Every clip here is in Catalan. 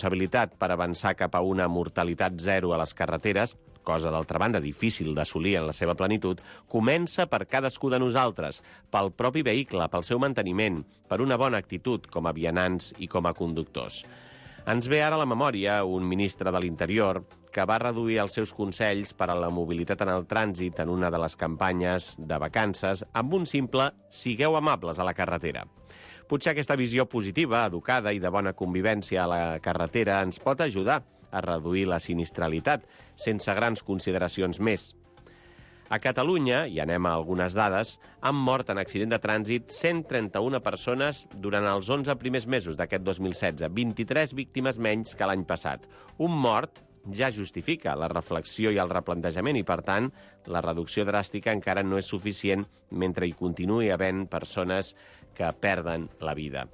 responsabilitat per avançar cap a una mortalitat zero a les carreteres, cosa d'altra banda difícil d'assolir en la seva plenitud, comença per cadascú de nosaltres, pel propi vehicle, pel seu manteniment, per una bona actitud com a vianants i com a conductors. Ens ve ara a la memòria un ministre de l'Interior que va reduir els seus consells per a la mobilitat en el trànsit en una de les campanyes de vacances amb un simple «sigueu amables a la carretera». Potser aquesta visió positiva, educada i de bona convivència a la carretera ens pot ajudar a reduir la sinistralitat, sense grans consideracions més. A Catalunya, i anem a algunes dades, han mort en accident de trànsit 131 persones durant els 11 primers mesos d'aquest 2016, 23 víctimes menys que l'any passat. Un mort ja justifica la reflexió i el replantejament i, per tant, la reducció dràstica encara no és suficient mentre hi continuï havent persones que perden la vida.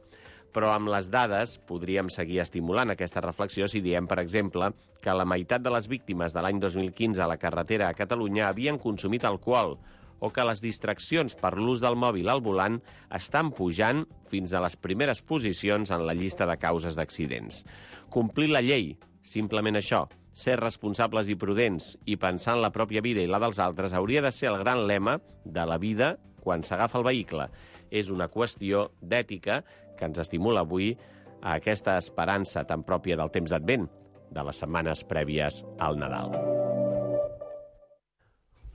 Però amb les dades podríem seguir estimulant aquesta reflexió si diem, per exemple, que la meitat de les víctimes de l'any 2015 a la carretera a Catalunya havien consumit alcohol o que les distraccions per l'ús del mòbil al volant estan pujant fins a les primeres posicions en la llista de causes d'accidents. Complir la llei, simplement això, ser responsables i prudents i pensar en la pròpia vida i la dels altres hauria de ser el gran lema de la vida quan s'agafa el vehicle. És una qüestió d'ètica que ens estimula avui a aquesta esperança tan pròpia del temps d'Advent, de les setmanes prèvies al Nadal.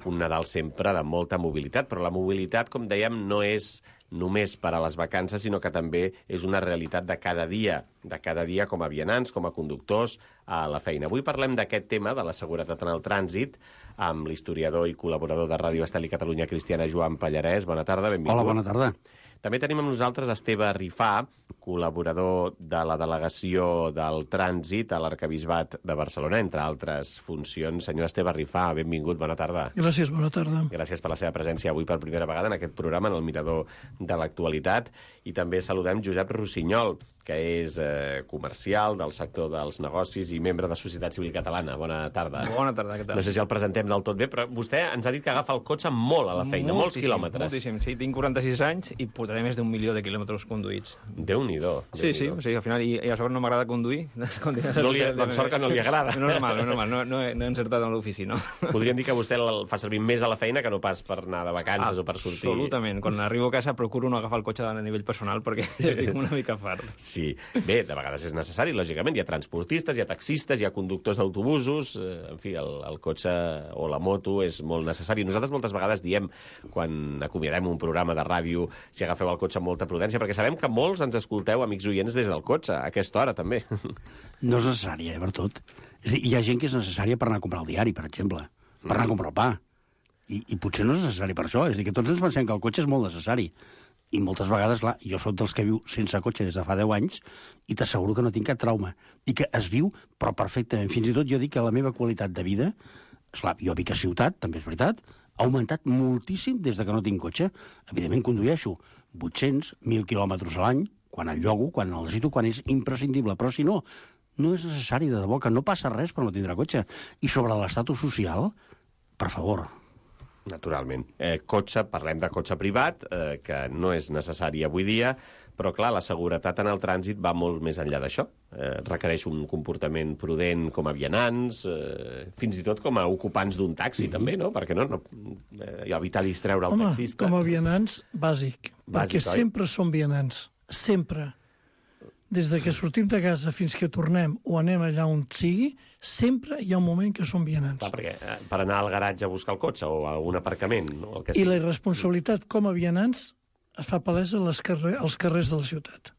Un Nadal sempre de molta mobilitat, però la mobilitat, com dèiem, no és només per a les vacances, sinó que també és una realitat de cada dia com a vianants, com a conductors a la feina. Avui parlem d'aquest tema, de la seguretat en el trànsit, amb l'historiador i col·laborador de Ràdio Estel i Catalunya Cristiana, Joan Pallarès. Bona tarda, benvingut. Hola, bona tarda. També tenim amb nosaltres Esteve Rifà, col·laborador de la Delegació del Trànsit a l'Arquebisbat de Barcelona, entre altres funcions. Senyor Esteve Rifà, benvingut, bona tarda. Gràcies, bona tarda. Gràcies per la seva presència avui per primera vegada en aquest programa, en el Mirador de l'Actualitat. I també saludem Josep Rossinyol, que és comercial del sector dels negocis i membre de Societat Civil Catalana. Bona tarda. Bona tarda, què tal? No sé si el presentem del tot bé, però vostè ens ha dit que agafa el cotxe molt a la feina, molts quilòmetres. Moltíssim, sí. Tinc 46 anys i portaré més d'1 milió de quilòmetres conduïts. Déu-n'hi-do. Sí, o sigui, al final, i a sobre no m'agrada conduir. Doncs sort que no li agrada. Normal, no he encertat en l'ofici, no? Podríem dir que vostè el fa servir més a la feina que no pas per anar de vacances o per sortir. Absolutament. Quan arribo a casa procuro no agafar el cotxe a nivell personal perquè estic una mica fart. Sí. Bé, de vegades és necessari, lògicament. Hi ha transportistes, hi ha taxistes, hi ha conductors d'autobusos. En fi, el cotxe o la moto és molt necessari. Nosaltres moltes vegades diem, quan acomiadem un programa de ràdio, si agafeu el cotxe amb molta prudència, perquè sabem que molts ens escolteu, amics oients, des del cotxe, a aquesta hora, també. No és necessària, per tot. És a dir, hi ha gent que és necessària per anar a comprar el diari, per exemple, per anar a comprar el pa. I potser no és necessari per això. És a dir, que tots ens pensem que el cotxe és molt necessari. I moltes vegades, clar, jo sóc dels que viu sense cotxe des de fa 10 anys i t'asseguro que no tinc cap trauma. I que es viu, però perfectament. Fins i tot jo dic que la meva qualitat de vida, esclar, jo vic a ciutat, també és veritat, ha augmentat moltíssim des de que no tinc cotxe. Evidentment condueixo 800, 1.000 quilòmetres a l'any, quan el llogo, quan el necessito, quan és imprescindible. Però si no, no és necessari, de debò, que no passa res per no tindre cotxe. I sobre l'estatus social, per favor. Naturalment. Cotxe, parlem de cotxe privat, que no és necessari avui dia, però, clar, la seguretat en el trànsit va molt més enllà d'això. Requereix un comportament prudent com a vianants, fins i tot com a ocupants d'un taxi, també, no? Perquè no evitar distreure el taxista. Com a vianants, bàsic. Perquè sempre som vianants. Sempre. Des de que sortim de casa fins que tornem o anem allà on sigui, sempre hi ha un moment que som vianants. Clar, perquè per anar al garatge a buscar el cotxe o a un aparcament... No? El que I la irresponsabilitat com a vianants es fa palesa als carrers de la ciutat.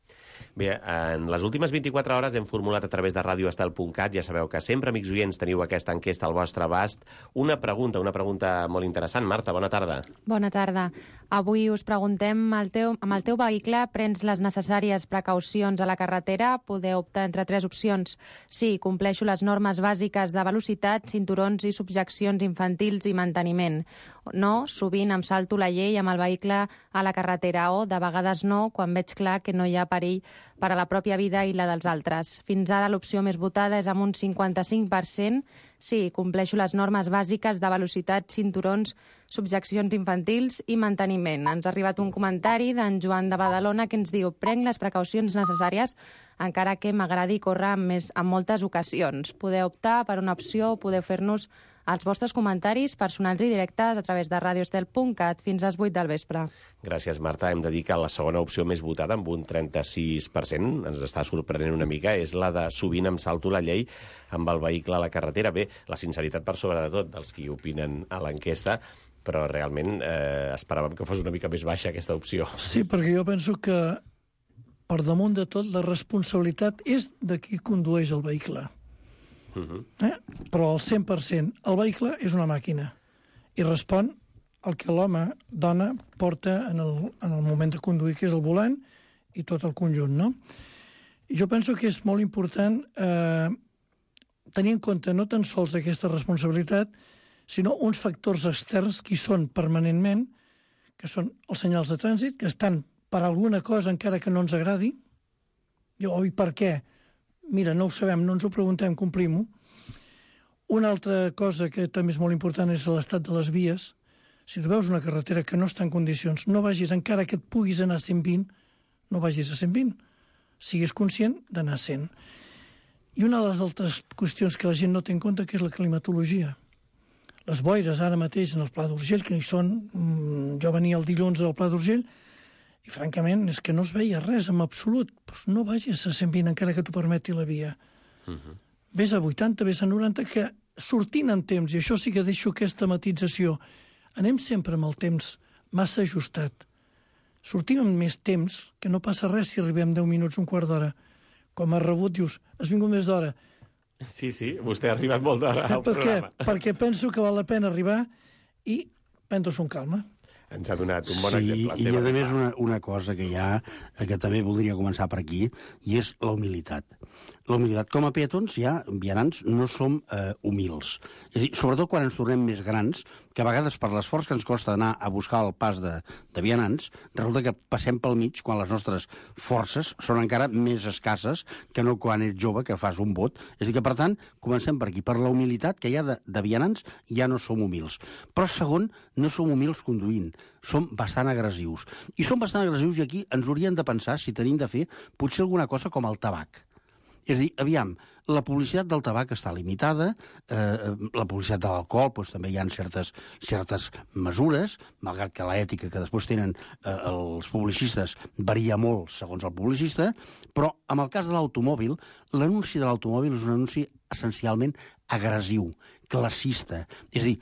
Bé, en les últimes 24 hores hem formulat a través de radioestel.cat, ja sabeu que sempre, amics oients, teniu aquesta enquesta al vostre abast, una pregunta molt interessant. Marta, bona tarda. Bona tarda. Avui us preguntem, amb el teu vehicle prens les necessàries precaucions a la carretera? Podeu optar entre 3 opcions. Sí, compleixo les normes bàsiques de velocitat, cinturons i subjeccions infantils i manteniment. No, sovint em salto la llei amb el vehicle a la carretera, o de vegades no, quan veig clar que no hi ha perill per a la pròpia vida i la dels altres. Fins ara l'opció més votada és amb un 55%. Sí, compleixo les normes bàsiques de velocitat, cinturons, subjeccions infantils i manteniment. Ens ha arribat un comentari d'en Joan de Badalona que ens diu: prenc les precaucions necessàries encara que m'agradi córrer en moltes ocasions. Podeu optar per una opció o podeu fer-nos els vostres comentaris personals i directes a través de radioestel.cat fins a les 8 del vespre. Gràcies, Marta. Hem de dir que la segona opció més votada, amb un 36%, ens està sorprenent una mica, és la de sovint em salto la llei amb el vehicle a la carretera. Bé, la sinceritat per sobre de tot dels qui opinen a l'enquesta, però realment esperàvem que fos una mica més baixa aquesta opció. Sí, perquè jo penso que per damunt de tot la responsabilitat és de qui condueix el vehicle. Però al 100%. El vehicle és una màquina i respon al que l'home, dona, porta en el moment de conduir, que és el volant i tot el conjunt, no? I jo penso que és molt important tenir en compte no tan sols aquesta responsabilitat, sinó uns factors externs que hi són permanentment, que són els senyals de trànsit, que estan per alguna cosa encara que no ens agradi. I per què? Mira, no ho sabem, no ens ho preguntem, complim-ho. Una altra cosa que també és molt important és l'estat de les vies. Si tu veus una carretera que no està en condicions, no vagis, encara que et puguis anar a 120, no vagis a 120. Siguis conscient d'anar a 100. I una de les altres qüestions que la gent no té en compte, que és la climatologia. Les boires ara mateix en el Pla d'Urgell, que hi són... Jo venia el dilluns del Pla d'Urgell, i francament és que no es veia res en absolut. Pues no vagis a 120 encara que t'ho permeti la via. Ves a 80, ves a 90, que sortint en temps, i això sí que deixo aquesta matització, anem sempre amb el temps massa ajustat. Sortim amb més temps, que no passa res si arribem 10 minuts, un quart d'hora. Com has rebut, dius, has vingut més d'hora. Sí, vostè ha arribat molt d'hora al programa. Perquè penso que val la pena arribar i prendre-s'ho amb calma. Ens ha donat un bon exemple. Sí, i a més una cosa que hi ha, que també voldria començar per aquí, i és la humilitat. La humilitat. Com a peatons, vianants, no som humils. És a dir, sobretot quan ens tornem més grans, que a vegades per l'esforç que ens costa anar a buscar el pas de vianants, resulta que passem pel mig quan les nostres forces són encara més escasses que no quan ets jove, que fas un bot. És a dir que, per tant, comencem per aquí. Per la humilitat que hi ha de vianants, ja no som humils. Però, segon, no som humils conduint. Som bastant agressius. I som bastant agressius i aquí ens hauríem de pensar si tenim de fer potser alguna cosa com el tabac. És a dir, aviam, la publicitat del tabac està limitada, la publicitat de l'alcohol doncs, també hi ha certes mesures, malgrat que l'ètica que després tenen els publicistes varia molt segons el publicista, però en el cas de l'automòbil, l'anunci de l'automòbil és un anunci essencialment agressiu, classista, és a dir,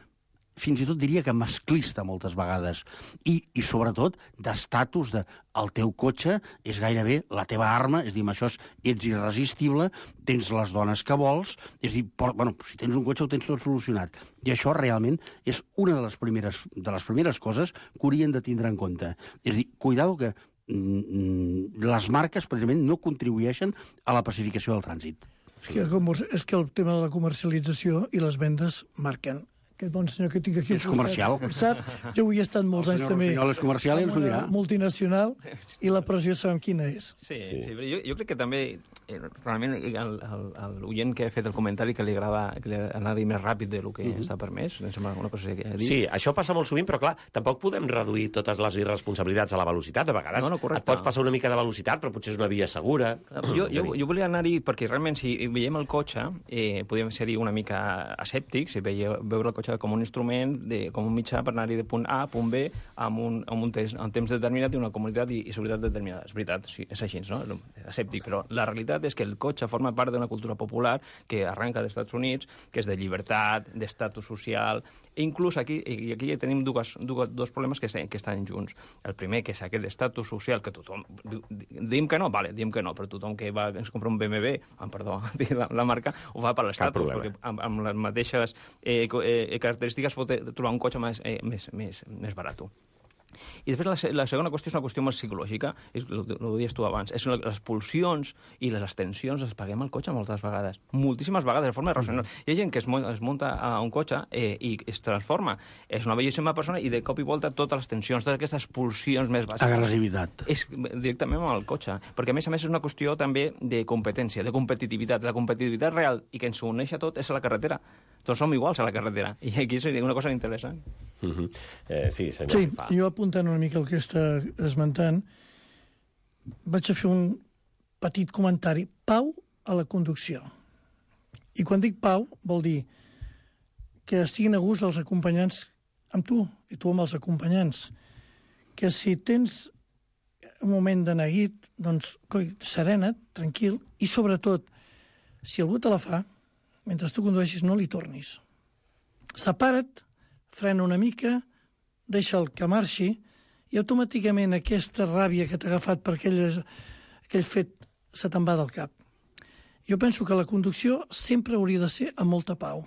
fins i tot diria que masclista moltes vegades, i sobretot d'estatus de el teu cotxe és gairebé la teva arma, és a dir, amb això ets irresistible, tens les dones que vols, és a dir, si tens un cotxe ho tens tot solucionat. I això realment és una de les primeres coses que haurien de tindre en compte. És a dir, cuidado que les marques precisament no contribueixen a la pacificació del trànsit. És que el tema de la comercialització i les vendes marquen. Aquest bon senyor que tinc aquí... És comercial. Sap? Jo ho he estat molts anys també. El senyor és comercial i ens ho dirà. Multinacional, i la pressió sabem quina és. Sí. Jo crec que també, realment, l'oient que ha fet el comentari que li agrada anar més ràpid del que està permès, em sembla una cosa que ha dit. Sí, això passa molt sovint, però clar, tampoc podem reduir totes les irresponsabilitats a la velocitat. De vegades et pots passar una mica de velocitat, però potser és una via segura. Jo volia anar-hi perquè realment si veiem el cotxe, podríem ser-hi una mica escèptics, si veure el cotxe com un instrument, com un mitjà per anar-hi de punt A a punt B amb un temps determinat i una comoditat i seguretat determinada. És veritat, sí, és així, no? Escèptic, però la realitat és que el cotxe forma part d'una cultura popular que arrenca dels Estats Units, que és de llibertat, d'estatus social, i inclús aquí tenim dos problemes que estan junts. El primer, que és aquest estatus social que tothom... Diem que no? Vale, diem que no, però tothom que es compra un BMW, perdó, la marca, ho fa per l'estatus, perquè amb les mateixes característiques pot trobar un cotxe més barat. I després la segona qüestió és una qüestió més psicològica, és el dius tu abans, és les pulsions i les extensions les paguem al cotxe moltes vegades, moltíssimes vegades, de forma irracional. Hi ha gent que es munta a un cotxe i es transforma, és una bellíssima persona i de cop i volta totes les tensions, totes aquestes pulsions més bàsiques. Agressivitat. És directament amb el cotxe, perquè a més és una qüestió també de competència, de competitivitat. La competitivitat real i que ens uneix a tot és a la carretera. Tots som iguals a la carretera. I aquí seria una cosa interessant. Sí, senyor. Sí, jo apuntant una mica el que està esmentant, vaig a fer un petit comentari. Pau a la conducció. I quan dic pau, vol dir que estiguin a gust els acompanyants amb tu, i tu amb els acompanyants. Que si tens un moment de neguit, doncs, coi, serena't, tranquil, i sobretot, si algú te la fa, mentre tu condueixis, no li tornis. Separa't, frena una mica, deixa'l que marxi, i automàticament aquesta ràbia que t'ha agafat per aquell fet se te'n va del cap. Jo penso que la conducció sempre hauria de ser amb molta pau.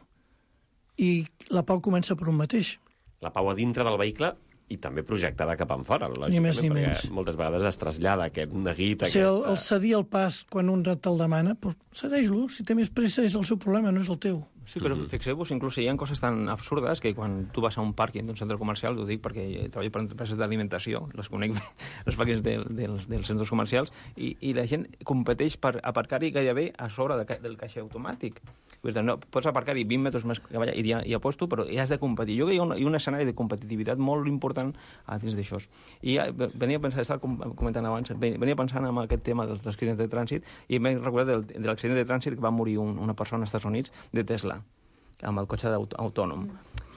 I la pau comença per un mateix. La pau a dintre del vehicle i també projectada cap enfora, Ni més ni perquè menys. moltes vegades es trasllada aquest neguit, El cedir el pas quan un te'l demana, doncs cedeix-lo. Si té més pressa és el seu problema, no és el teu. Sí, però fixeu-vos, inclús hi ha coses tan absurdes que quan tu vas a un pàrquing d'un centre comercial, ho dic perquè treballo per empreses d'alimentació, les conec bé, els pàrquings dels centres comercials, i la gent competeix per aparcar-hi gairebé a sobre del caixer automàtic. Vull dir, no, pots aparcar-hi 20 metres més que allà i ja puesto, però hi has de competir. Jo crec que hi ha un escenari de competitivitat molt important a dins d'això. I venia a pensar, estava comentant abans, venia pensant en aquest tema dels accidents de trànsit i m'he recordat de l'accident de trànsit que va morir una persona als Estats Units de Tesla, amb el cotxe autònom.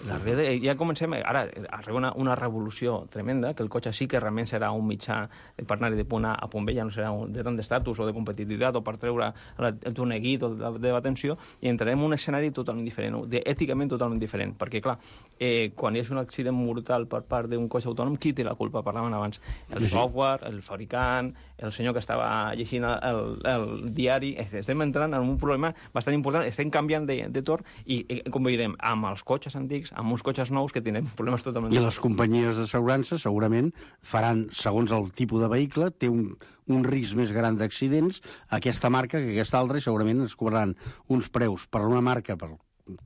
Ja comencem, ara arriba una revolució tremenda, que el cotxe sí que realment serà un mitjà per anar de punt A a punt B, ja no serà de tant d'estatus o de competitivitat o per treure el teu neguit o de l'atenció, i entrarem en un escenari totalment diferent, èticament totalment diferent, perquè clar, quan hi ha un accident mortal per part d'un cotxe autònom, qui té la culpa? Parlàvem abans. El software, el fabricant, el senyor que estava llegint el diari. Estem entrant en un problema bastant important, estem canviant de torn i com veurem, amb els cotxes antics, amb uns cotxes nous que tenen problemes totalment... I les companyies d'assegurança segurament faran, segons el tipus de vehicle, té un risc més gran d'accidents aquesta marca que aquesta altra, i segurament es cobraran uns preus per una marca, per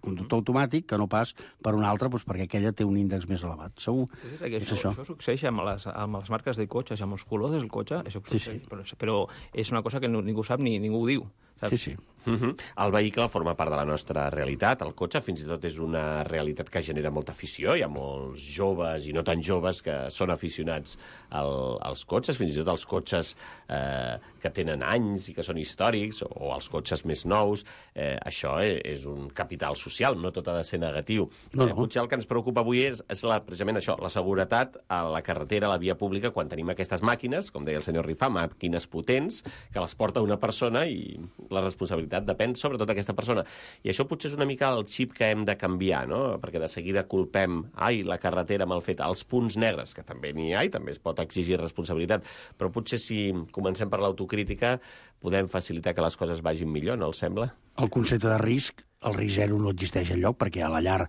conductor automàtic, que no pas per una altra, doncs perquè aquella té un índex més elevat. Segur que és això. Això succeeix amb les marques de cotxes, amb els colors del cotxe, això succeeix, sí. Però és una cosa que ningú sap ni ningú ho diu. Saps? Sí, sí. El vehicle forma part de la nostra realitat, el cotxe fins i tot és una realitat que genera molta afició, hi ha molts joves i no tan joves que són aficionats als cotxes, fins i tot els cotxes que tenen anys i que són històrics, o els cotxes més nous, això és un capital social, no tot ha de ser negatiu. No. Potser el que ens preocupa avui és precisament això, la seguretat a la carretera, a la via pública, quan tenim aquestes màquines, com deia el senyor Rifà, màquines potents, que les porta una persona i la responsabilitat depèn sobretot d'aquesta persona. I això potser és una mica el xip que hem de canviar, no? Perquè de seguida culpem, la carretera mal feta, els punts negres, que també n'hi ha i també es pot exigir responsabilitat, però potser si comencem per l'autocrítica podem facilitar que les coses vagin millor, no els sembla? El concepte de risc, el risc zero no existeix enlloc, perquè a la llar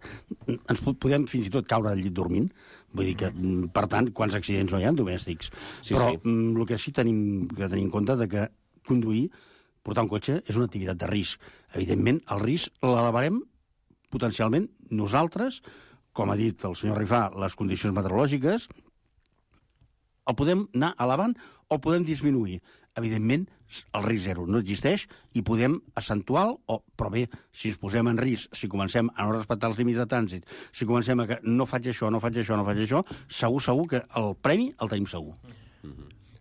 ens podem fins i tot caure al llit dormint. Vull dir que, per tant, quants accidents no hi ha domèstics. Sí, però sí. El que sí tenim que tenir en compte de que conduir, portar un cotxe, és una activitat de risc. Evidentment, el risc l'elevarem potencialment nosaltres, com ha dit el senyor Rifà, les condicions meteorològiques, el podem anar elevant o el podem disminuir. Evidentment, el risc zero no existeix i podem accentuar-lo, però bé, si ens posem en risc, si comencem a no respectar els límits de trànsit, si comencem a que no faig això, segur que el premi el tenim segur.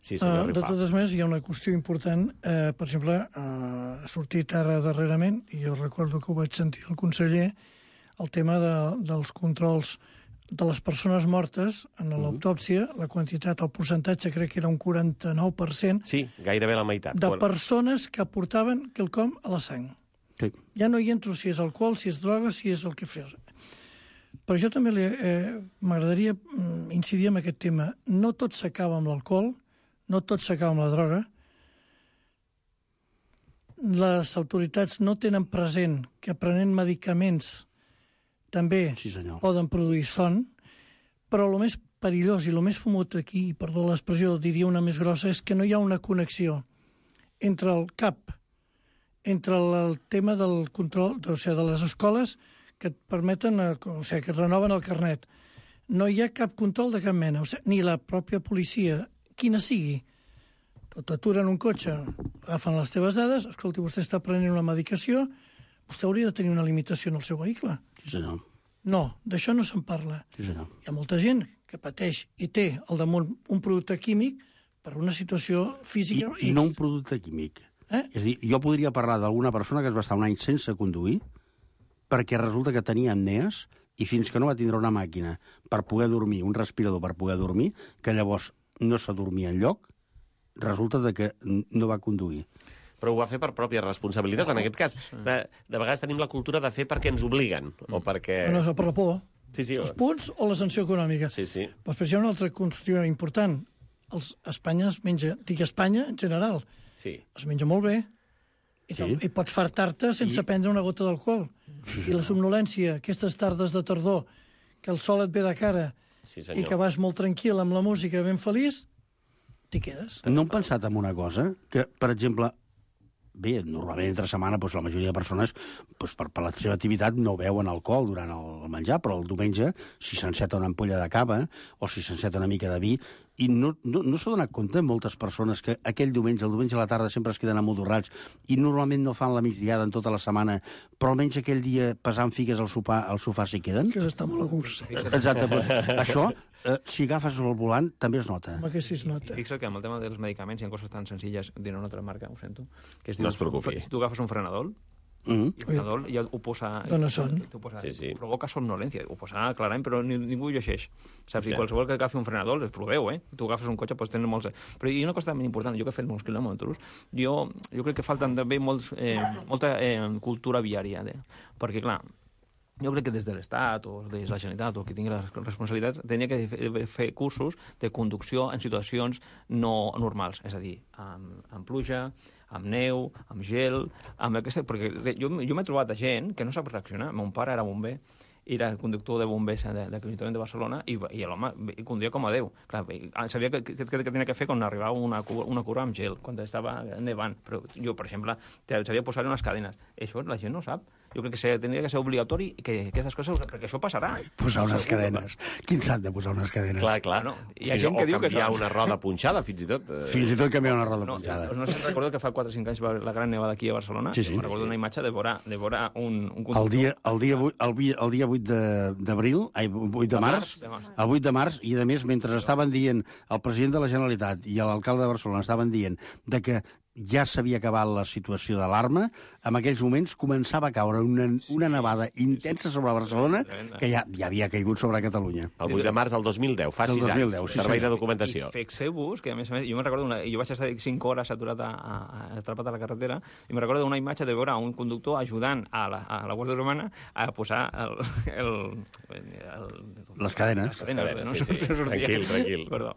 Sí, senyor de Rifà. totes maneres, hi ha una qüestió important. Per exemple, ha sortit ara darrerament, i jo recordo que ho vaig sentir el conseller, el tema dels controls de les persones mortes en l'autòpsia, la quantitat, el percentatge crec que era un 49%, Sí, gairebé la meitat. de persones que aportaven quelcom a la sang. Sí. Ja no hi entro si és alcohol, si és droga, si és el que fes. Però jo també m'agradaria incidir en aquest tema. No tot s'acaba amb l'alcohol, no tot s'acaba amb la droga. Les autoritats no tenen present que prenent medicaments també Sí, senyor. poden produir son, però el més perillós i el més fumut aquí, perdó l'expressió, diria una més grossa, és que no hi ha una connexió entre el CAP, entre el tema del control, o sigui, de les escoles que et permeten, o sigui, que et renoven el carnet. No hi ha cap control de cap mena, o sigui, ni la pròpia policia, quina sigui. T'aturen un cotxe, agafen les teves dades, escolti, vostè està prenent una medicació, vostè hauria de tenir una limitació en el seu vehicle. Sí, senyor. No, d'això no se'n parla. Sí, senyor. Hi ha molta gent que pateix i té al damunt un producte químic per una situació física... I no un producte químic. És a dir, jo podria parlar d'alguna persona que es va estar un any sense conduir perquè resulta que tenia apnees i fins que no va tindre una màquina per poder dormir, un respirador per poder dormir, que llavors no s'adormia enlloc, resulta que no va conduir. Però ho va fer per pròpia responsabilitat, en aquest cas. De vegades tenim la cultura de fer perquè ens obliguen, o perquè... No, per la por. Sí. Els punts o la sanció econòmica. Sí. Però després hi ha una altra qüestió important. Espanya es menja, dic Espanya en general, es menja molt bé i pots fartar-te sense prendre una gota d'alcohol. I la somnolència, aquestes tardes de tardor, que el sol et ve de cara i que vas molt tranquil amb la música, ben feliç, t'hi quedes. No hem pensat en una cosa? Que, per exemple, bé, normalment entre setmana la majoria de persones per la seva activitat no beuen alcohol durant el menjar, però el diumenge, si s'enceta una ampolla de cava o si s'enceta una mica de vi, i no s'ha donat compte moltes persones que aquell diumenge, el diumenge a la tarda, sempre es queden amodorrats i normalment no fan la migdiada en tota la setmana, però almenys aquell dia pesant figues al sofà s'hi queden? Que està molt a gust. Exacte, això, si agafes el volant, també es nota. Home, que sí es nota. Fixa't que amb el tema dels medicaments hi ha coses tan senzilles, diré una altra marca, ho sento, que es diu, no es preocupi. Si tu agafes un frenador, i el frenador ja ho posa... Dóna son. Provoca somnolència, ho posa clarament, però ningú ho llegeix. Saps? I qualsevol que agafi un frenador, els proveu, Tu agafes un cotxe, pots tenir molts... Però hi ha una cosa també important, jo que he fet molts quilòmetres, jo crec que falten també molta cultura viària, perquè, clar, jo crec que des de l'Estat o des de la Generalitat o qui tingui les responsabilitats tenia que fer cursos de conducció en situacions no normals, és a dir, amb pluja, amb neu, amb gel, perquè jo m'he trobat gent que no sap reaccionar. Mon pare era bomber, era el conductor de bombers de l'Ajuntament de Barcelona i l'home conduïa com a Déu. Clar, sabia què tenia que fer quan arribava una curva amb gel, quan estava nevant. Però jo, per exemple, sabia posar unes cadenes. Això la gent no sap. Jo crec que tindria que ser obligatori que aquestes coses, perquè això passarà. Posar unes cadenes. Quin s'ha de posar unes cadenes? Clar. No, hi ha gent que diu que... O canviar una roda punxada, fins i tot. Fins i tot canviar una roda punxada. No sé si recordo que fa 4 o 5 anys va la gran nevada aquí a Barcelona. Sí. Recordo una imatge de veure un conductor... El dia 8 d'abril, 8 de març, el 8 de març, i a més, mentre estaven dient el president de la Generalitat i l'alcalde de Barcelona estaven dient de que ja s'havia acabat la situació d'alarma, en aquells moments començava a caure una nevada intensa sobre Barcelona que ja havia caigut sobre Catalunya. El 8 de març del 2010, fa 6 anys, servei de documentació. I fixeu-vos que, a més, jo me'n recordo, jo vaig estar 5 hores aturat atrapat a la carretera, i me'n recordo d'una imatge de veure un conductor ajudant a la Guàrdia Urbana a posar les cadenes. Tranquil. Perdó.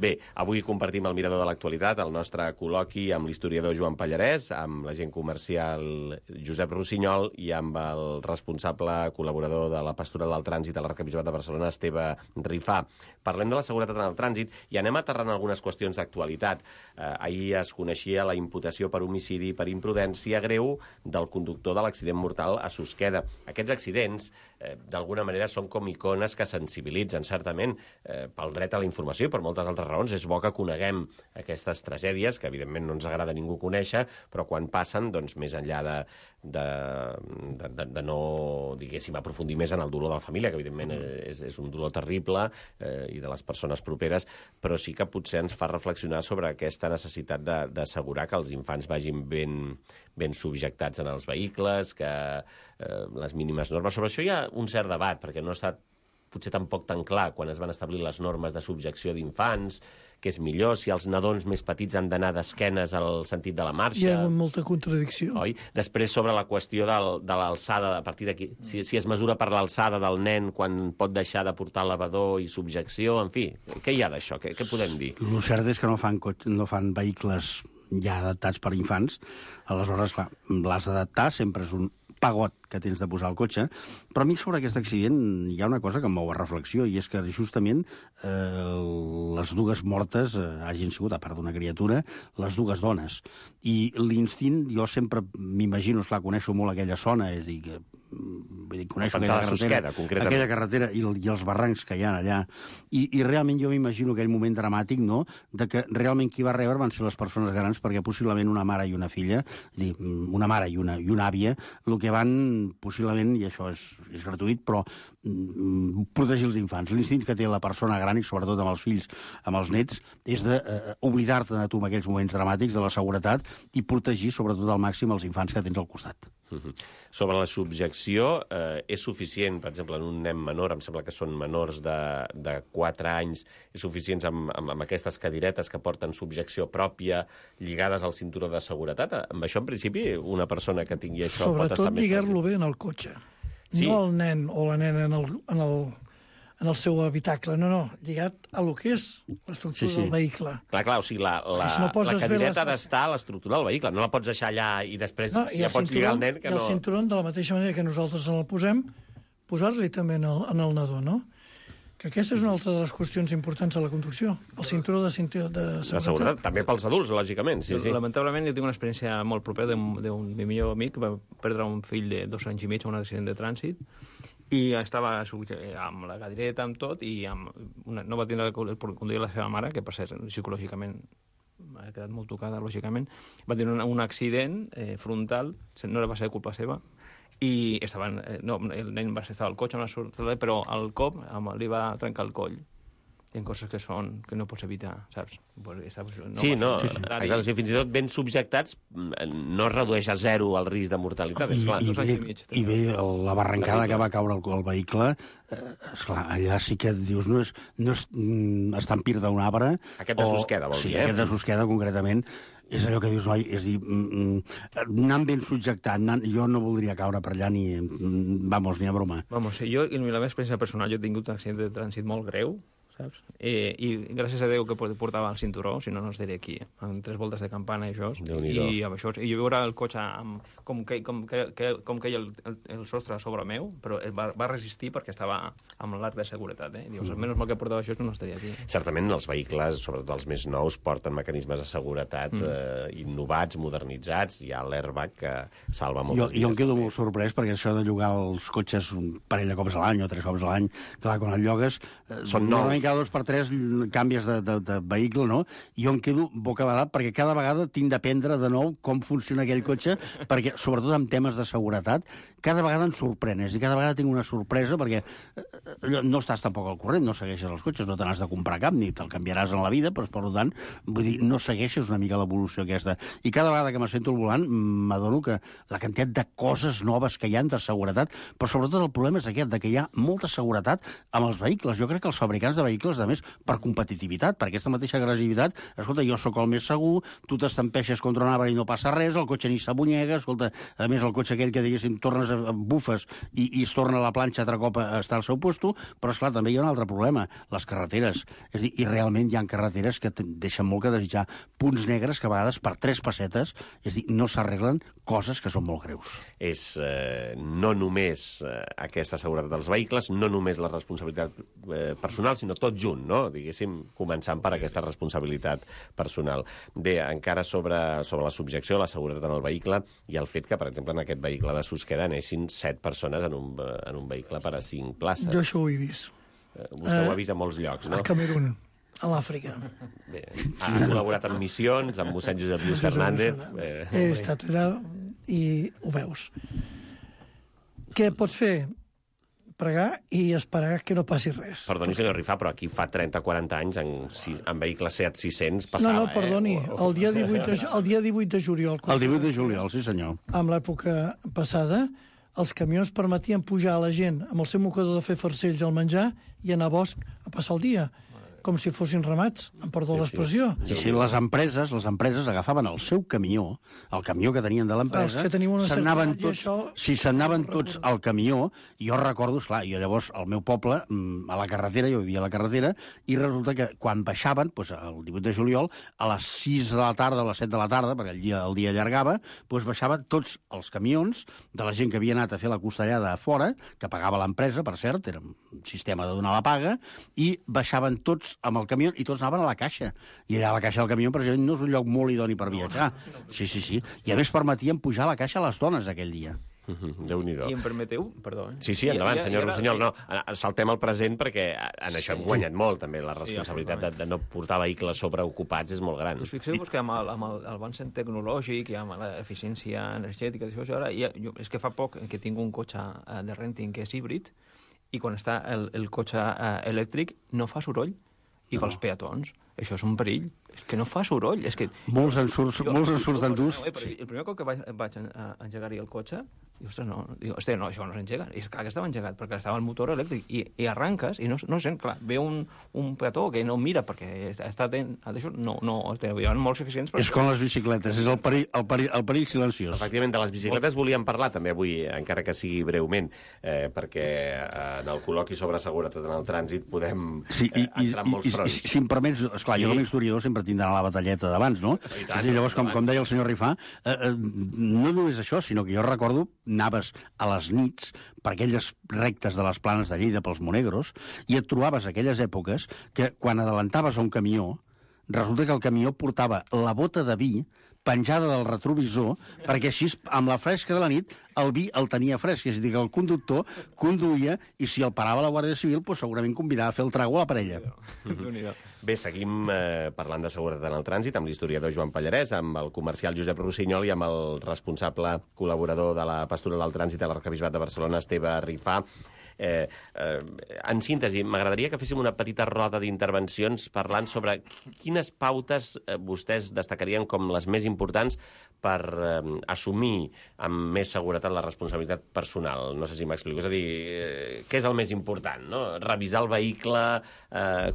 Bé, avui compartim el mirador de l'actualitat, el nostre col·loqui amb l'historiador Joan Pallarès, amb l'agent comercial Josep Rossinyol i amb el responsable col·laborador de la Pastoral del Trànsit a l'Arquebisbat de Barcelona, Esteve Rifà. Parlem de la seguretat en el trànsit i anem aterrant algunes qüestions d'actualitat. Ahir es coneixia la imputació per homicidi per imprudència greu del conductor de l'accident mortal a Susqueda. Aquests accidents, d'alguna manera, són com icones que sensibilitzen, certament, pel dret a la informació i per moltes altres raons. És bo que coneguem aquestes tragèdies, que evidentment no ens agrada a ningú conèixer, però quan passen, doncs, més enllà de no, diguéssim, aprofundir més en el dolor de la família, que evidentment és un dolor terrible, i de les persones properes, però sí que potser ens fa reflexionar sobre aquesta necessitat d'assegurar que els infants vagin ben subjectats en els vehicles, que les mínimes normes. Sobre això hi ha un cert debat, perquè no ha estat potser tampoc tan clar quan es van establir les normes de subjecció d'infants, que és millor, si els nadons més petits han d'anar d'esquenes al sentit de la marxa. Hi ha molta contradicció. Oi? Després, sobre la qüestió de l'alçada, a partir d'aquí, si es mesura per l'alçada del nen quan pot deixar de portar elevador i subjecció, en fi, què hi ha d'això? Què podem dir? El cert és que no fan vehicles ja adaptats per infants, aleshores, clar, l'has d'adaptar, sempre és un pagot que tens de posar al cotxe. Però a mi sobre aquest accident hi ha una cosa que em mou a reflexió, i és que justament les dues mortes hagin sigut, a part d'una criatura, les dues dones. I l'instint, jo sempre m'imagino, esclar, coneixo molt aquella zona, és a dir, que coneixo aquella carretera i els barrancs que hi ha allà, i realment jo m'imagino aquell moment dramàtic, no?, de que realment qui va rebre van ser les persones grans, perquè possiblement una mare i una filla, una mare i una àvia, el que van possiblement, i això és gratuït, però protegir els infants. L'instint que té la persona gran, i sobretot amb els fills, amb els nets, és d'oblidar-te de tu en aquells moments dramàtics, de la seguretat, i protegir sobretot al màxim els infants que tens al costat. Sobre la subjecció, és suficient, per exemple, en un nen menor, em sembla que són menors de 4 anys, és suficient amb aquestes cadiretes que porten subjecció pròpia, lligades al cinturó de seguretat? Amb això, en principi, una persona que tingui això pot estar més... Sobretot lligar-lo bé en el cotxe. Sí. No el nen o la nena en el seu habitacle, no, lligat a lo que és l'estructura del vehicle. Clar, o sigui, la cadireta ha d'estar a l'estructura del vehicle, no la pots deixar allà i després ja pots lligar el nen que no... I el cinturó, de la mateixa manera que nosaltres el posem, posar-li també en el nadó, no? Que aquesta és una altra de les qüestions importants a la conducció, el cinturó de seguretat. També pels adults, lògicament, sí. Lamentablement, jo tinc una experiència molt propera d'un millor amic que va perdre un fill de 2 anys i mig en un accident de trànsit, i estava amb la cadireta, amb tot, i no va tindre el conduir la seva mare, que per cert, psicològicament ha quedat molt tocada, lògicament, va tenir un accident frontal, no va ser culpa seva, i el nen va estar al cotxe, però el cop li va trencar el coll. Hi ha coses que no pots evitar, saps? Exacte, fins i tot ben subjectats no es redueix a 0 el risc de mortalitat. I bé, la barrancada que va caure el vehicle, esclar, allà sí que dius, no és estampir d'un arbre... Aquest de Susqueda, vol dir, Sí, aquest de Susqueda, concretament, és allò que dius, noi, és dir, anant ben subjectat, jo no voldria caure per allà ni a broma. Jo, i la meva experiència personal, jo he tingut un accident de trànsit molt greu, saps? I gràcies a Déu que portava el cinturó, si no, no estaré aquí, amb 3 voltes de campana i això, i amb això, i jo veure el cotxe com queia el sostre sobre meu, però va resistir perquè estava amb l'arc de seguretat, i dius, almenys mal que portava això, no estaria aquí. Certament els vehicles, sobretot els més nous, porten mecanismes de seguretat innovats, modernitzats, hi ha l'airbag que salva moltes vides. Jo em quedo molt sorprès perquè això de llogar els cotxes un parell de cops a l'any o 3 cops a l'any, clar, quan el llogues... Són nous. Cada 2 per 3 canvies de vehicle, no? I jo em quedo bocabadat perquè cada vegada tinc d'aprendre de nou com funciona aquell cotxe, perquè, sobretot en temes de seguretat, cada vegada em sorprenes, i cada vegada tinc una sorpresa perquè no estàs tampoc al corrent, no segueixes els cotxes, no te n'has de comprar cap, ni te'l canviaràs en la vida, però, per tant, vull dir, no segueixes una mica l'evolució aquesta. I cada vegada que m'assento al volant m'adono que la quantitat de coses noves que hi ha de seguretat, però sobretot el problema és aquest, que hi ha molta seguretat amb els vehicles. Jo crec que els fabricants de vehicles, a més, per competitivitat, per aquesta mateixa agressivitat, escolta, jo sóc el més segur, tu t'estampeixes contra un arbre i no passa res, el cotxe ni s'abunyega, escolta, a més, el cotxe aquell que, diguéssim, tornes a bufes i es torna a la planxa altre cop a estar al seu puesto, però, esclar, també hi ha un altre problema, les carreteres. És a dir, i realment hi ha carreteres que deixen molt que desitjar, punts negres que a vegades per 3 pessetes, és a dir, no s'arreglen coses que són molt greus. És no només aquesta seguretat dels vehicles, no només la responsabilitat personal, sinó tot junt, no? Diguéssim, començant per aquesta responsabilitat personal. Bé, encara sobre la subjecció, la seguretat en el vehicle i el fet que, per exemple, en aquest vehicle de Susqueda anessin 7 persones en un vehicle per a 5 places. Jo això ho he vist. Vostè ho ha vist a molts llocs, no? A Camerún, a l'Àfrica. Bé, ha col·laborat en missions, amb mossèn Josep Lluís Fernández. He estat allà i ho veus. Què pots fer? Pregar i esperar que no passi res. Perdoni, senyor Rifà, però aquí fa 30-40 anys en vehicles Seat 600 passava, No, perdoni, el dia 18 de juliol. El 18 de juliol, sí senyor. En l'època passada, els camions permetien pujar a la gent amb el seu mocador de fer farcells al menjar i anar a bosc a passar el dia. com si fossin ramats, em perdó l'expressió. Sí, les empreses agafaven el seu camió, el camió que tenien de l'empresa, Els que tenim una se'n certa anaven edat i tots, això- si se'n anaven tots al camió, jo recordo, esclar, jo llavors al meu poble, a la carretera, jo vivia a la carretera, i resulta que quan baixaven, doncs, el 18 de juliol, a les 6 de la tarda o a les 7 de la tarda, perquè el dia allargava, doncs baixaven tots els camions de la gent que havia anat a fer la costellada a fora, que pagava l'empresa, per cert, era un sistema de donar la paga, i baixaven tots amb el camió i tots anaven a la caixa. I allà a la caixa del camió, per exemple, no és un lloc molt idoni per viatjar. Sí. I a més permetien pujar a la caixa a les dones aquell dia. Déu-n'hi-do. I em permeteu? Perdó. Sí, endavant, senyor Rossinyol. No, saltem al present perquè en això hem guanyat molt, també. La responsabilitat de no portar vehicles sobreocupats és molt gran. Us fixeu-vos que amb l'avanç tecnològic i amb l'eficiència energètica, és que fa poc que tinc un cotxe de renting que és híbrid i quan està el cotxe elèctric no fa soroll i pels peatons. Això és un perill. És que no fa soroll. És que... Molts en surten durs. El primer cop que vaig engegar-hi el cotxe, dic, ostres, no, això no s'engega. És clar que estava engegat, perquè estava el motor elèctric. I arranques i no sent, clar, ve un peató que no mira, perquè està atent a això, no, hi ha molts eficients. És com les bicicletes, és el perill silenciós. Efectivament, de les bicicletes volíem parlar també avui, encara que sigui breument, perquè en el col·loqui sobre seguretat en el trànsit podem entrar en molts fronts. Si em permets, esclar, jo com a historiador sempre tinc d'anar a la batalleta d'abans, no? I llavors, com deia el senyor Rifà, no només això, sinó que jo recordo, anaves a les nits per aquelles rectes de les planes de Lleida pels Monegros i et trobaves aquelles èpoques que quan adelantaves a un camió, resulta que el camió portava la bota de vi penjada del retrovisor, perquè així, amb la fresca de la nit, el vi el tenia fresc. És a dir, que el conductor conduïa i si el parava la Guàrdia Civil, doncs segurament convidava a fer el trago a la parella. Bé, seguim parlant de seguretat en el trànsit amb l'historiador Joan Pallarès, amb el comercial Josep Rossinyol i amb el responsable col·laborador de la Pastoral del Trànsit a l'Arquebisbat de Barcelona, Esteve Rifà. En síntesi, m'agradaria que féssim una petita roda d'intervencions parlant sobre quines pautes vostès destacarien com les més importants per assumir amb més seguretat la responsabilitat personal. No sé si m'explico. És a dir, què és el més important? No? Revisar el vehicle,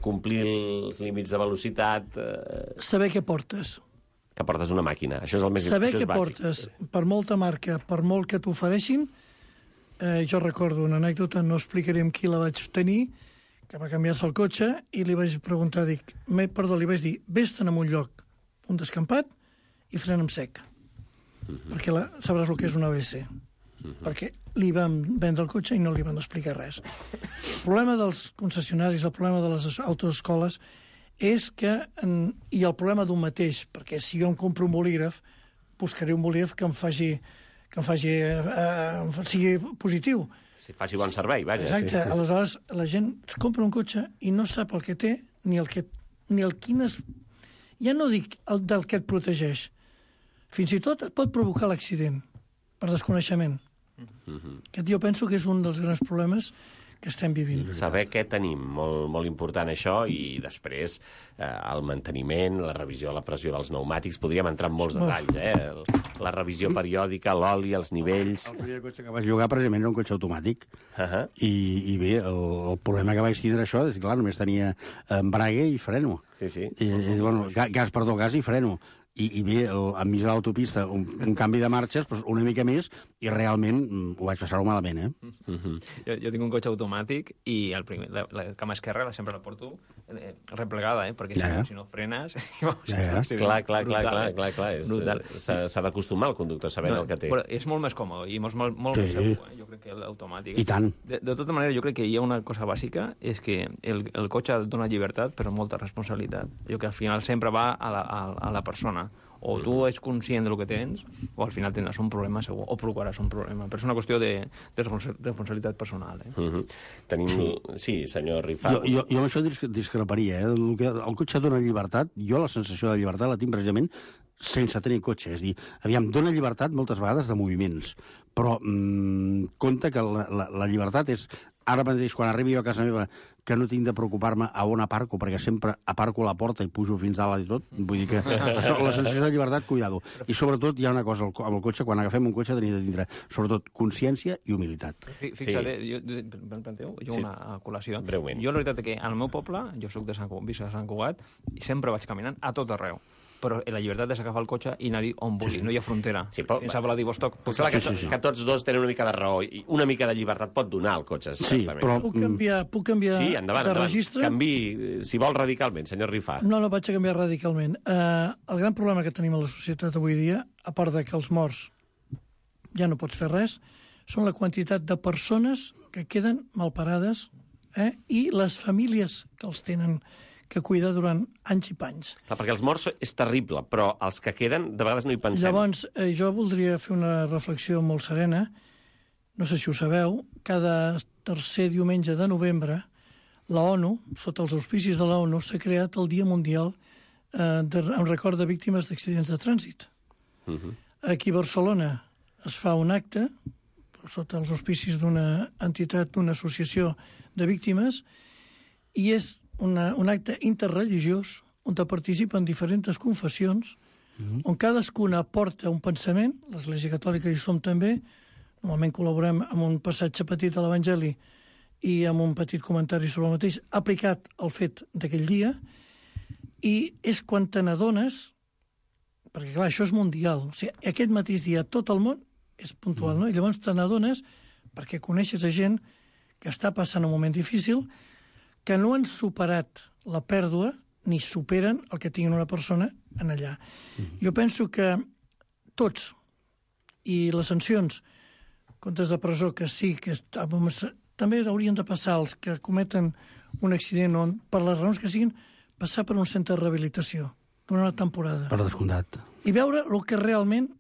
complir els límits de velocitat... Saber què portes. Que portes una màquina. Això és el més Saber això és què bàsic. portes, per molta marca, per molt que t'ofereixin. Jo recordo una anècdota, no explicaré amb qui la vaig tenir, que va canviar-se el cotxe i li vaig preguntar, li vaig dir, vés-te'n a un lloc, un descampat, i frena amb sec. Perquè sabràs el que és un ABS. Perquè li van vendre el cotxe i no li van explicar res. El problema dels concessionaris, el problema de les autoescoles, és que, i el problema d'un mateix, perquè si jo em compro un bolígraf, buscaré un bolígraf que em sigui positiu. Si faci bon servei, vaja. Exacte. Sí. Aleshores, la gent es compra un cotxe i no sap el que té, ni el quines... Ja no dic el del que et protegeix. Fins i tot et pot provocar l'accident, per desconeixement. Aquest jo penso que és un dels grans problemes que estem vivint. Saber què tenim, molt, molt important això, i després el manteniment, la revisió de la pressió dels pneumàtics, podríem entrar en molts detalls, la revisió periòdica, l'oli, els nivells... El primer cotxe que vaig llogar, precisament, era un cotxe automàtic, i bé, el problema que vaig tindre això és que, clar, només tenia embrague i freno. Sí. Gas i freno. I bé, enmig de l'autopista, un canvi de marxes, doncs una mica més, i realment ho vaig passar-ho malament, Jo tinc un cotxe automàtic i la cama esquerra sempre la porto replegada, perquè si no frenes... Clar. S'ha d'acostumar el conductor sabent el que té. Però és molt més còmode i molt més segur, jo crec que l'automàtic... I tant. De tota manera, jo crec que hi ha una cosa bàsica, és que el cotxe dona llibertat, però molta responsabilitat. Jo que al final sempre va a la persona. O tu ets conscient del que tens, o al final tindràs un problema segur, o provocaràs un problema. Però és una qüestió de responsabilitat personal. Sí, senyor Rifà. Jo amb això discreparia. El cotxe dona llibertat, jo la sensació de llibertat la tinc precisament sense tenir cotxe. És a dir, aviam, dona llibertat moltes vegades de moviments, però compte que la llibertat és... Ara mateix, quan arribi jo a casa meva, que no tinc de preocupar-me a on aparco, perquè sempre aparco a la porta i pujo fins dalt i tot. Vull dir que això, la sensació de llibertat, cuidado. I sobretot hi ha una cosa amb el cotxe, quan agafem un cotxe tenim de tindre, sobretot, consciència i humilitat. Fixa't, jo una col·lació. Breument. Jo la veritat és que al meu poble, jo soc de Sant Cugat, i sempre vaig caminant a tot arreu. Però la llibertat és agafar el cotxe i anar-hi on vulgui, no hi ha frontera. Sí, però... Fins a Vladivostok. Que tots dos tenen una mica de raó i una mica de llibertat pot donar el cotxe. Sí, però... Puc canviar sí, endavant. registre? Canviï, si vol, radicalment, senyor Rifà. No vaig a canviar radicalment. El gran problema que tenim a la societat avui dia, a part de que els morts ja no pots fer res, són la quantitat de persones que queden malparades i les famílies que els tenen que cuidar durant anys i panys. Clar, perquè els morts és terrible, però els que queden, de vegades no hi pensem. Llavors, jo voldria fer una reflexió molt serena. No sé si ho sabeu, cada tercer diumenge de novembre, la ONU, sota els auspicis de la ONU, s'ha creat el Dia Mundial en record de víctimes d'accidents de trànsit. Aquí a Barcelona es fa un acte, sota els auspicis d'una entitat, d'una associació de víctimes, i és un acte interreligiós on participen diferents confessions, on cadascuna aporta un pensament, l'Església Catòlica hi som també, normalment col·laborem amb un passatge petit de l'Evangeli i amb un petit comentari sobre el mateix, aplicat al fet d'aquell dia, i és quan te n'adones, perquè clar, això és mundial, o sigui, aquest mateix dia tot el món és puntual, no? I llavors te n'adones, perquè coneixes a gent que està passant un moment difícil, que no han superat la pèrdua ni superen el que tinguin una persona en allà. Jo penso que tots, i les sancions, comptes de presó, que sí, que també haurien de passar els que cometen un accident on, per les raons que siguin, passar per un centre de rehabilitació durant la temporada. Per descomptat. I veure el que realment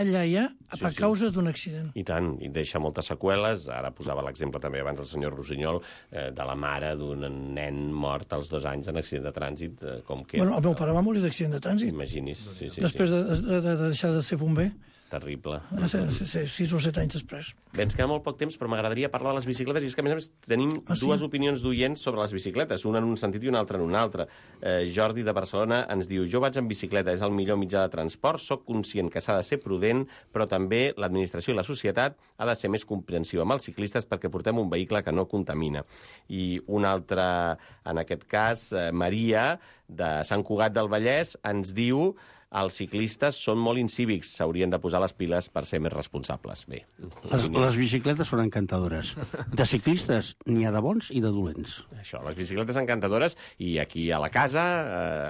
allà hi ha a causa d'un accident. I tant, i deixa moltes seqüeles. Ara posava l'exemple també abans el senyor Rossinyol de la mare d'un nen mort als 2 anys en accident de trànsit. Com que... Bueno, el meu pare va morir d'accident de trànsit. Imagini's. Sí, després de deixar de ser bomber. Terrible. 6 o 7 anys després. Bé, ens queda molt poc temps, però m'agradaria parlar de les bicicletes, i és que, a més, tenim dues opinions d'oients sobre les bicicletes, una en un sentit i una altra en un altre. Jordi de Barcelona ens diu: jo vaig en bicicleta, és el millor mitjà de transport, sóc conscient que s'ha de ser prudent, però també l'administració i la societat ha de ser més comprensiva amb els ciclistes perquè portem un vehicle que no contamina. I una altra, en aquest cas, Maria, de Sant Cugat del Vallès, ens diu: els ciclistes són molt incívics, s'haurien de posar les piles per ser més responsables. Bé, les bicicletes són encantadores. De ciclistes n'hi ha de bons i de dolents. Això, les bicicletes encantadores, i aquí a la casa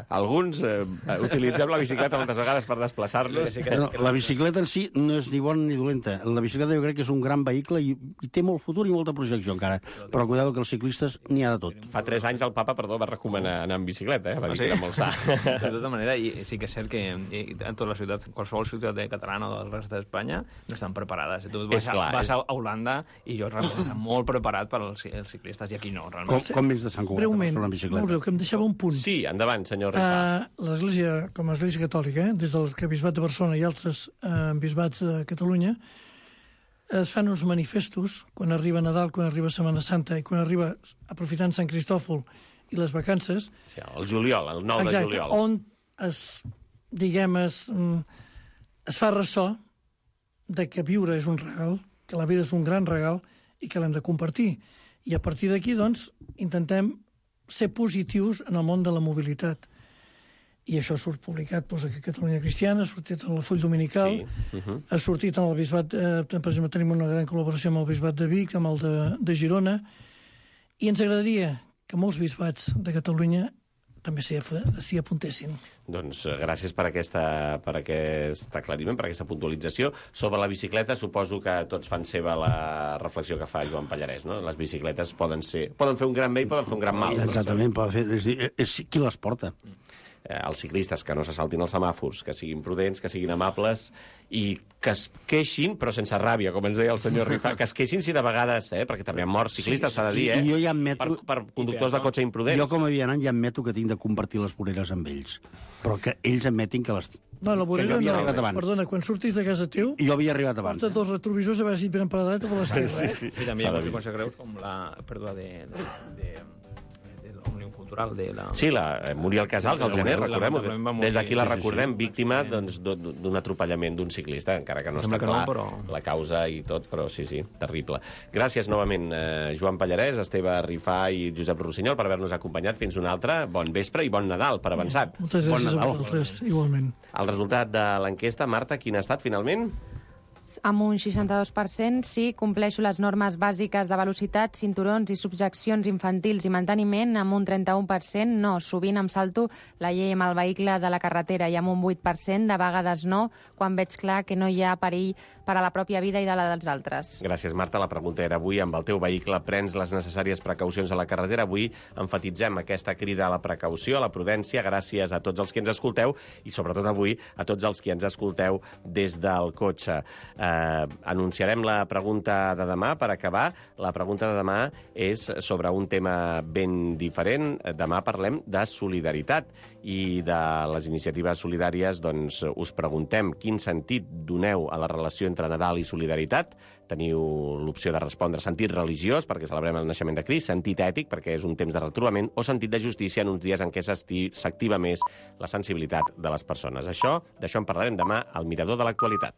alguns utilitzem la bicicleta moltes vegades per desplaçar-nos. No, la bicicleta en si no és ni bona ni dolenta. La bicicleta jo crec que és un gran vehicle i té molt futur i molta projecció encara. Però cuidado que els ciclistes n'hi ha de tot. Fa 3 anys el papa, va recomanar anar en bicicleta, va dir que era molt sa. De tota manera, i sí que és cert que en tota la ciutat, qualsevol ciutat catalana o del rest d'Espanya no estan preparades. Tu vas a Holanda i jo realment estan molt preparat per als ciclistes, i aquí no, realment. Com vens de Sant Cugat? Breument, molt breu, que em deixava un punt. Sí, endavant, senyor Rifà. L'Església, com a Església Catòlica, des del Arquebisbat de Barcelona i altres bisbats de Catalunya, es fan uns manifestos quan arriba Nadal, quan arriba Setmana Santa i quan arriba, aprofitant Sant Cristòfol i les vacances... Sí, el juliol, el 9 de juliol. Exacte, on es fa ressò de que viure és un regal, que la vida és un gran regal i que l'hem de compartir. I a partir d'aquí, doncs, intentem ser positius en el món de la mobilitat. I això surt publicat aquí a Catalunya Cristiana, ha sortit al Full Dominical, ha sortit en el Bisbat, per exemple, tenim una gran col·laboració amb el Bisbat de Vic, amb el de Girona, i ens agradaria que molts bisbats de Catalunya també s'hi apuntessin. Doncs gràcies per aquest aclariment, per aquesta puntualització. Sobre la bicicleta, suposo que tots fan seva la reflexió que fa Joan Pallarès, no? Les bicicletes poden fer un gran bé i poden fer un gran mal. Exactament, és qui les porta. els ciclistes que no se saltin els semàfors, que siguin prudents, que siguin amables i que es queixin, però sense ràbia, com ens deia el senyor Rifà, que es queixin si de vegades, perquè també han mort ciclistes, s'ha de dir, I jo ja admeto... per conductors de cotxe imprudents. Jo, com a vianant, ja admeto que tinc de compartir les voreres amb ells, però que ells admetin que les... No, la vorera havia no. arribat abans. Perdona, quan surtis de casa teu, I jo havia arribat abans. porta dos retrovisors a veure si et venen per la dreta o per l'esquerra, Sí, també hi ha conseqüències greus com la pèrdua de l'Òmnium Cultural de la... Sí, la Muriel Casals, al gener, recordem-ho. lamentablement va Des d'aquí la morir. recordem, víctima d'un atropellament d'un ciclista, encara que no Sembla està que no, clar però... la causa i tot, però sí, terrible. Gràcies novament, Joan Pallarès, Esteve Rifà i Josep Rossinyol, per haver-nos acompanyat. Fins una altra. Bon vespre i bon Nadal, per avançat. Moltes gràcies a vosaltres, igualment. El resultat de l'enquesta, Marta, quin ha estat finalment? Amb un 62%, sí, compleixo les normes bàsiques de velocitat, cinturons i subjeccions infantils i manteniment. Amb un 31%, no, sovint em salto la llei amb el vehicle de la carretera, i amb un 8%, de vegades no, quan veig clar que no hi ha perill per a la pròpia vida i de la dels altres. Gràcies, Marta. La pregunta era avui, amb el teu vehicle prens les necessàries precaucions a la carretera? Avui emfatitzem aquesta crida a la precaució, a la prudència, gràcies a tots els que ens escolteu i, sobretot avui, a tots els que ens escolteu des del cotxe. Anunciarem la pregunta de demà per acabar. La pregunta de demà és sobre un tema ben diferent. Demà parlem de solidaritat i de les iniciatives solidàries. Doncs us preguntem quin sentit doneu a la relació entre Nadal i solidaritat. Teniu l'opció de respondre sentit religiós, perquè celebrem el naixement de Crist, sentit ètic, perquè és un temps de retrobament, o sentit de justícia en uns dies en què s'activa més la sensibilitat de les persones. D'això en parlarem demà al Mirador de l'Actualitat.